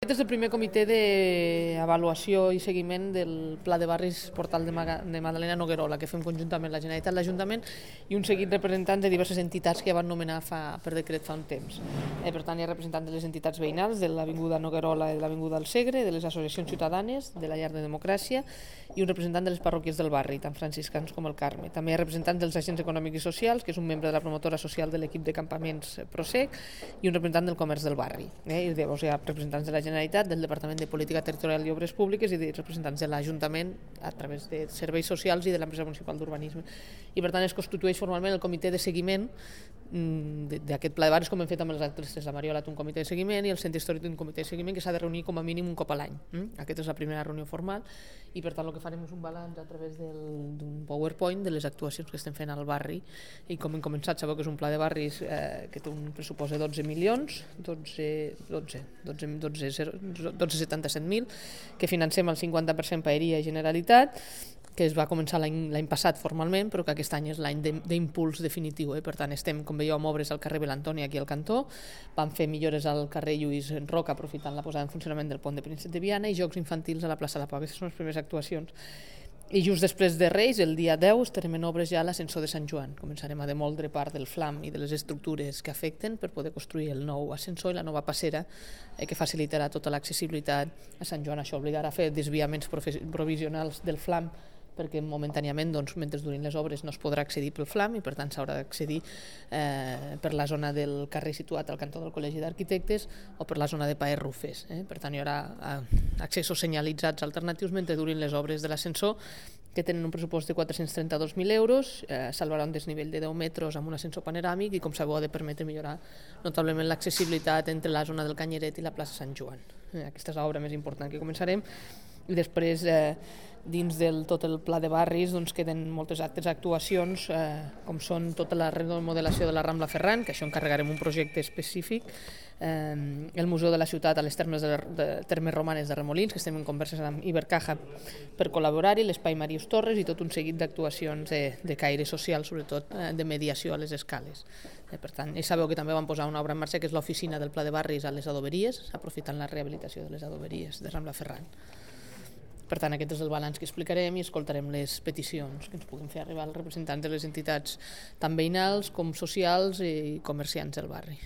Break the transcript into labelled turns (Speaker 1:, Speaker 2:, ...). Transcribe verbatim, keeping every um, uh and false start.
Speaker 1: Aquest és el primer comitè d'avaluació i seguiment del Pla de Barris Portal de Madalena Noguerola, que fem conjuntament la Generalitat, l'Ajuntament i un seguit de representants de diverses entitats que van nomenar fa, per decret fa un temps. Eh, per tant, hi ha representants de les entitats veïnals, de l'Avinguda Noguerola i de l'Avinguda del Segre, de les associacions ciutadanes, de la Llar de Democràcia i un representant de les parròquies del barri, tant franciscans com el Carme. També hi ha representants dels agents econòmics i socials, que és un membre de la promotora social de l'equip de campaments Prosec i un representant del comerç del barri. Eh, I llavors hi ha representants de la Generalitat, del Departament de Política Territorial i Obres Públiques i de representants de l'Ajuntament a través de serveis socials i de l'empresa municipal d'urbanisme. I per tant es constitueix formalment el comitè de seguiment d'aquest pla de barris, com hem fet amb els altres tres. La Mariola té un comitè de seguiment i el Centre Històric té un comitè de seguiment que s'ha de reunir com a mínim un cop a l'any. Aquesta és la primera reunió formal i per tant el que farem és un balanç a través d'un PowerPoint de les actuacions que estem fent al barri i com hem començat, sabeu que és un pla de barris eh, que té un pressupost de dotze milions, dotze, dotze, dotze, dotze, dotze coma setanta-set mil, que financem el cinquanta per cent Paeria i Generalitat, que es va començar l'any passat formalment, però que aquest any és l'any d'impuls definitiu. Eh? Per tant, estem, com veieu, amb obres al carrer Belantoni, aquí al cantó, vam fer millores al carrer Lluís Roca, aprofitant la posada en funcionament del pont de Príncep de Viana, i jocs infantils a la plaça La Pau. Aquestes són les primeres actuacions. I just després de Reis, el dia deu, estarem en obres ja a l'ascensor de Sant Joan. Començarem a demoldre part del flam i de les estructures que afecten per poder construir el nou ascensor i la nova passera eh, que facilitarà tota l'accessibilitat a Sant Joan. Això obligarà a fer desviaments provisionals del flam perquè momentàniament, doncs, mentre durin les obres, no es podrà accedir pel flam i per tant s'haurà d'accedir eh, per la zona del carrer situat al cantó del Col·legi d'Arquitectes o per la zona de Paer Rufes. Eh? Per tant, hi haurà eh, accessos senyalitzats alternatius mentre durin les obres de l'ascensor, que tenen un pressupost de quatre-cents trenta-dos mil euros, eh, salvarà un desnivell de deu metres amb un ascensor panoràmic i, com sabeu, ha de permetre millorar notablement l'accessibilitat entre la zona del Canyeret i la plaça Sant Joan. Eh, aquesta és l'obra més important que començarem. I després, eh, dins del tot el pla de barris, doncs, queden moltes altres actuacions, eh, com són tota la remodelació de la Rambla Ferran, que això encarregarem un projecte específic, eh, el Museu de la Ciutat a les termes, de, de, termes romanes de Remolins, que estem en converses amb Ibercaja per col·laborar-hi, l'Espai Màrius Torres i tot un seguit d'actuacions de, de caire social, sobretot eh, de mediació a les escales. Eh, per tant, i sabeu que també vam posar una obra en marxa, que és l'oficina del pla de barris a les adoberies, aprofitant la rehabilitació de les adoberies de Rambla Ferran. Per tant, aquest és el balanç que explicarem i escoltarem les peticions que ens puguin fer arribar els representants de les entitats tant veïnals com socials i comerciants del barri.